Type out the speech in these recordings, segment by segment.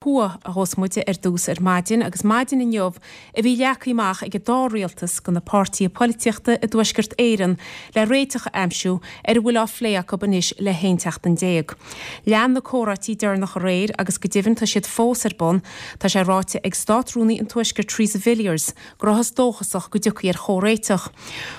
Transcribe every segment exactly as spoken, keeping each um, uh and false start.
Thuaidh a thosós muid ar dtús ar maidin agus maidin inniu a bhí leagtha amach ag an dá rialtas do na páirtithe polaitíochta i dTuaisceart Éireann le réiteach a aimsiú ar a bhfuil á phlé acu anois le haon tseachtain déag. Lean na comhráití deireanach aréir agus go deimhin tá siad fós ar bun, tá sé ráite ag Státrúnaí an Tuaiscirt Theresa Villiers go rabhthas dóchasach go dtiocfaí ar chomhréiteach.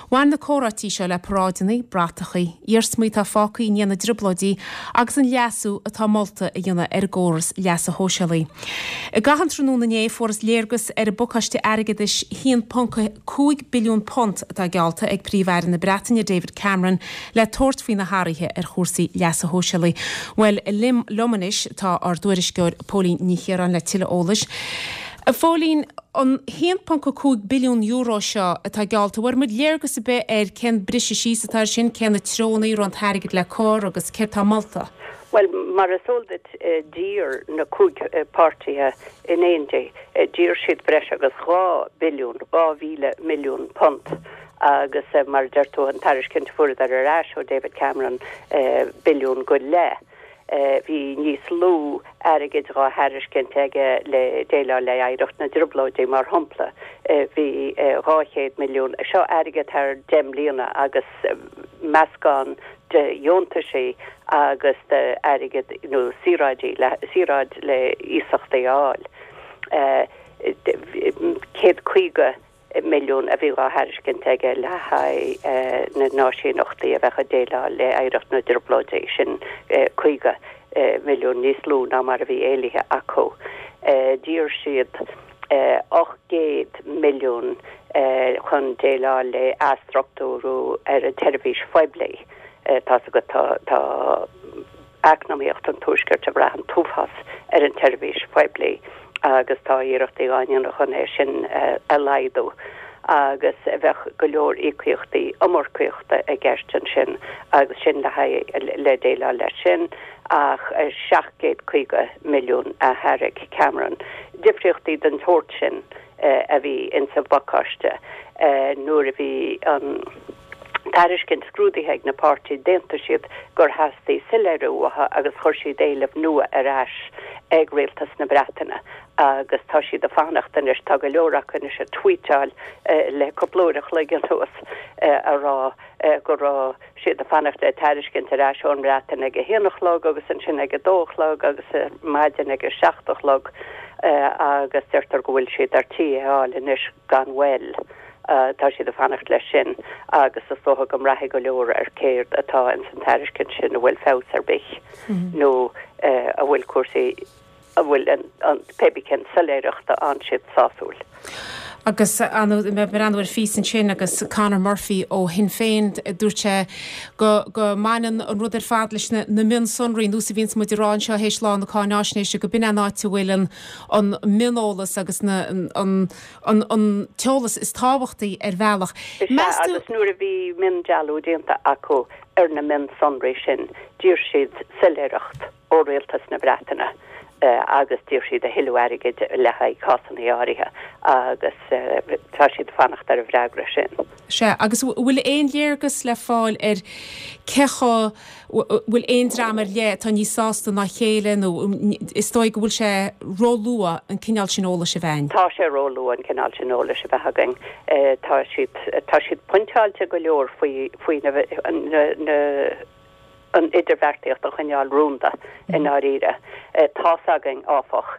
Bhain na comhráití seo le paráideanna, bratachaí, iarsmaí atá fágtha i ndiaidh na dtrioblóidí agus an leasú atá molta a dhéanamh ar an gcóras leasa shóisialaigh. I gcaitheamh an tráthnóna inné fuarthas léargas ar an bpacáiste airgeadais haon ponc cúig billiún punt atá geallta ag Príomh-Aire na Breataine David Cameron le tabhairt faoi na hathruithe ar chúrsaí leasa shóisialaigh. Bhuel liom anois tá ár dtuairisceoir Póilín Ní Chiaráin le tuilleadh eolais. A Phóilín an haon ponc cúig billiún euro seo atá geallta, bhfuair muid léargas ar bith ar cén briseadh síos atá air sin, cé na treonaí an t-airgead le cur agus céard atá molta. Well mar is eol duit d'iarr na cúig páirtithe in éindí, d'iarr siad breis agus dhá billiún dhá mhíle milliún punt agus mar deir tú an tairiscint fuaireadar ar ais ó David Cameron billiún go leith. Bhí níos lú airgid á thairiscint aige le déileáil le hoidhreacht na dtrioblóidí mar shampla. Bhí dhá chéad milliún seo airgead thar deich mbliana agus meascán de dheontaisí agus de airgead nó saoráidí le saoráid le iasachtaí a fháil. Céad caoga milliún a bhí á thairiscint aige le haghaidh na n-áisíneachtaí a bheadh ag déileáil le hoidhreacht na dtrioblóidí sin caoga milliún níos lú ná mar a bhí éilithe acu. D'iarr siad ocht gcéad milliún chun déileáil le athstruchtúrú ar an tseirbhís phoiblí. Tá go tá eacnamaíocht an tuaiscirt ag brath an t-uafás ar an tseirbhís phoiblí agus tá iarrachtaí á ndéanamh chun é sin a laghdú agus bheadh go leor íocaíochtaí iomarcaíochta i gceist ansin agus sin le haghaidh le déileáil leis sin ach seacht gcéad caoga milliún a thairg Cameron. Difríochtaí den tsórt sin a bhí insa bpacáiste nuair a bhí an tairiscint scrúdaithe ag na páirtithe d'aontaigh siad gur theastaigh soiléiriú uathu agus chuir siad éileamh nua ar ais ag rialtas na Breataine agus tá siad ag fanacht anois tá go leor acu anois ag tweetáil le cúpla uair a chloig anuas a rá go raibh siad ag fanacht le tairiscint ar ais ón mBreatain ag a haon a chlog agus ansin ag a dó a chlog agus maidin ag a seacht a chlog agus deirtear go bhfuil siad ar tí é a fháil anois gan mhoill. Tá siad ag fanacht leis sin agus is dócha go mbraithfidh go leor ar céard atá ins an tairiscint sin a bhfuil feabhas ar bith nó a bhfuil cúrsaí a bhfuil an pé bí cén soiléireacht a fhaigheann siad sásúil. Agus mé ag breathnú ar phíosa ansin agus Conor Murphy ó Shinn Féin dúirt sé go go mbaineann an rud ar fad leis na na mionsonraí nós a bhíonns muid ag rá anseo théis lá na cáináisnéise go b'in an áit a bhfuil an an mioneolas agus na an an an t-eolas is tábhachtaí ar bhealach. Is ea, agus nuair a bhí miondealú déanta acu ar na mionsonraí sin, d'iarr siad soiléireacht ó rialtas na Breataine agus d'iarr siad a thuilleadh airgid le haghaidh cásanna áirithe agus tá siad ag fanacht ar an bhfreagra sin. Sea, agus bhfuil aon léargas le fáil ar cé chomh, bhfuil aon dream ar leith atá níos sásta ná a chéile nó is dóigh go bhfuil sé róluath an cineál sin eolais a bheith againn? Tá sé róluath an cineál sin eolais a bheith againn. Tá siad, tá siad pointeáilte go leor faoi, faoi na, na, na, an idirbheartaíocht a choinneáil rúnda i ndáiríre. Tá's againn, áfach,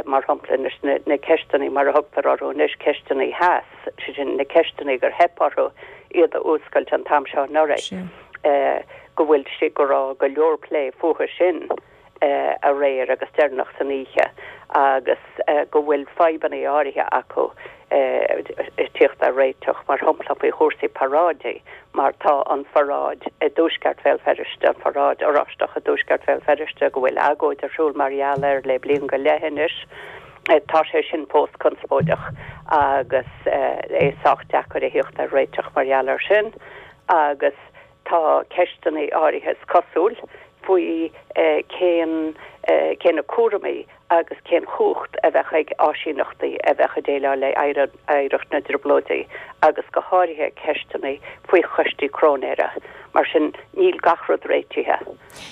mar shampla, anois na ceisteanna, mar a thugtar orthu anois, ceisteanna theas, sé sin, na ceisteanna gur theip orthu iad a fhuascailt an t-am seo anuraidh, go bhfuil sé, go raibh go leor plé fúthu sin aréir agus deireanach san oíche agus go bhfuil fadhbanna áirithe acu ag tíocht ar réiteach, mar shampla faoi chúrsaí paráidí, mar tá an pharáid i dtuaisceart Bhéal Feirste, an pharáid Oráisteach i dtuaisceart Bhéal Feirste, go bhfuil agóid ar siúl mar gheall air le bliain go leith anois, tá sé sin fós conspóideach agus é sách deacair a thíocht ar réiteach mar gheall air sin agus tá ceisteanna áirithe, is cosúil, faoi cén cé na cúraimí agus cén chumhacht a bheadh ag áisíneachtaí a bheadh ag déileáil le hoidhreacht na dTrioblóidí agus go háirithe ceisteanna faoi choistí cróinéara. Mar sin, níl gach rud réitithe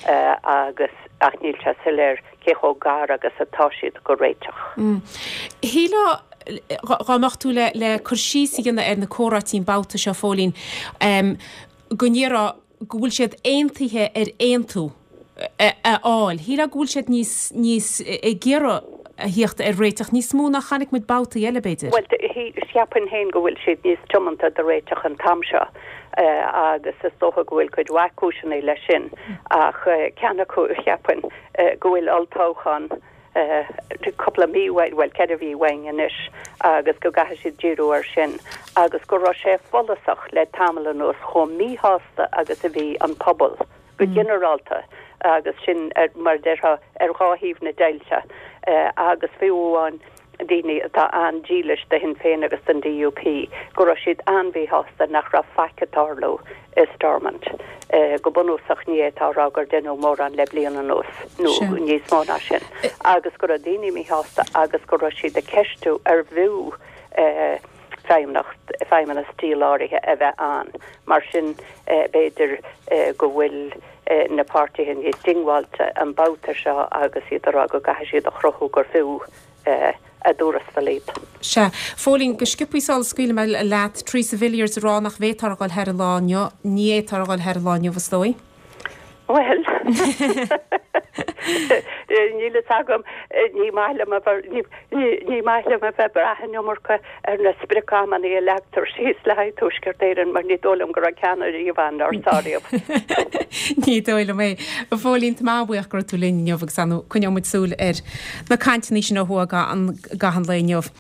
agus ach níl sé soiléir cé chomh gar agus atá siad go réiteach. Shílfeá dá mbeadh tú le le cur síos a dhéanamh ar na comhráití an babhta seo, a Phóilín, go ndéarfá go bhfuil siad aontaithe ar aontú a fháil. Shílfeá go bhfuil siad níos níos ag iarraidh a thíocht ar réiteach níos mó ná chonaic muid babhtaí eile, b'fhéidir. Bhuel, cheapfainn féin go bhfuil siad níos tiomanta do réiteach an t-am seo agus is dócha go bhfuil cuid mhaith cúiseanna leis sin ach ceann acu, cheapfainn, go bhfuil olltoghchán cúpla mí uainn, bhuel, ceithre mhí uainn anois agus go gcaithfidh siad díriú air sin agus go raibh sé follasach le tamall anuas chomh míshásta agus a bhí an pobal go ginearálta agus sin, mar a déarfá, ar dhá thaobh na deighilte agus fiú amháin daoine atá an-dílis do Shinn Féin agus don DUP, go raibh siad an-mhíshásta nach raibh faic ag tarlú i Stormont. Go bunúsach ní fhéadfá a rá gur deineadh mórán le bliain anuas, nó níos mó ná sin, agus go raibh daoine míshásta agus go raibh siad ag ceistiú ar bhfiú feidhmeannacht, feidhmeannas díláraithe a bheith ann. Mar sin, b'fhéidir go bhfuil na páirtithe níos diongbháilte an babhta seo agus iad ag rá go gcaithfidh siad a chruthú gur fiú a dtuarastal iad. Sea. Phóilín, go sciobthaí sula scaoilfidh mé leat, Theresa Villiers ag rá nach bhféadfar a dhul thar an lá inniu. Ní fhéadfar a dhul thar an lá inniu, is dóigh. Bhuel, níl fhios agam, ní maith liom a bheith, ní maith liom a bheith ag brath an iomarca ar na sprioc-amanna a leagtar síos le haghaidh Tuaisceart Éireann mar ní dóigh liom go raibh ceann ariamh ann nár sáraíodh. Ní dóigh liom é. A Phóilín, tá mé an-bhuíoch go raibh tú linn inniu agus ar ndóigh coinneoidh muid súil ar na cainteanna sin ó thuaidh i gcaitheamh an lae inniu.